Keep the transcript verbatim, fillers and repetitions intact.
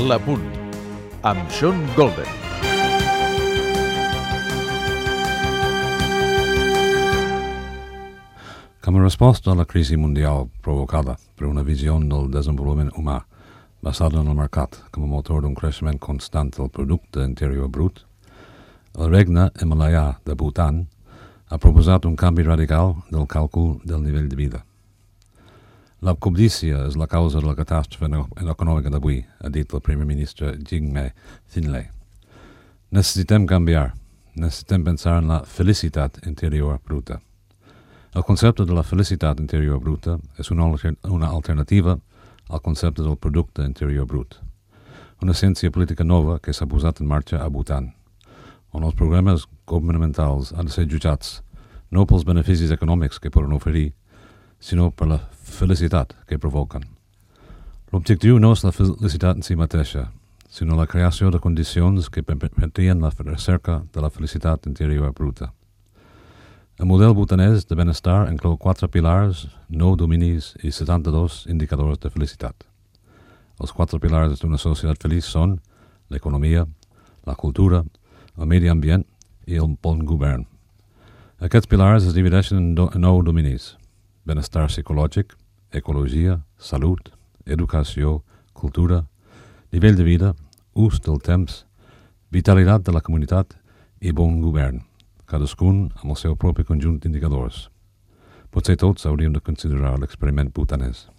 L'Apunt, amb Sean Golden. Com a resposta a la crisi mundial provocada per una visió del desenvolupament humà basada en el mercat com a motor d'un creixement constant del producte interior brut, el regne himalaià de Bhutan ha proposat un canvi radical del càlcul del nivell de vida. La cobdícia és la causa de la catàstrofe econòmica d'avui, ha dit el primer ministre Jigme Finlay. Necessitem canviar, necessitem pensar en la felicitat interior bruta. El concepte de la felicitat interior bruta és una, una alternativa al concepte del producte interior brut, una ciència política nova que s'ha posat en marxa a Bhutan, on els programes governamentals han de ser jutjats no pels beneficis econòmics que poden oferir, sinó per la felicitat que provoquen. L'objectiu no és la felicitat en si mateixa, sinó la creació de condicions que permetien la recerca de la felicitat interior bruta. El model bhutanès de benestar inclou quatre pilars, nou dominis i setanta-dos indicadors de felicitat. Els quatre pilars d'una societat feliç són l'economia, la cultura, el medi ambient i el bon govern. Aquests pilars es divideixen en, do, en nou dominis: benestar psicològic, ecologia, salut, educació, cultura, nivell de vida, ús del temps, vitalitat de la comunitat i bon govern, cadascun amb el seu propi conjunt d'indicadors. Potser tots hauríem de considerar l'experiment bhutanès.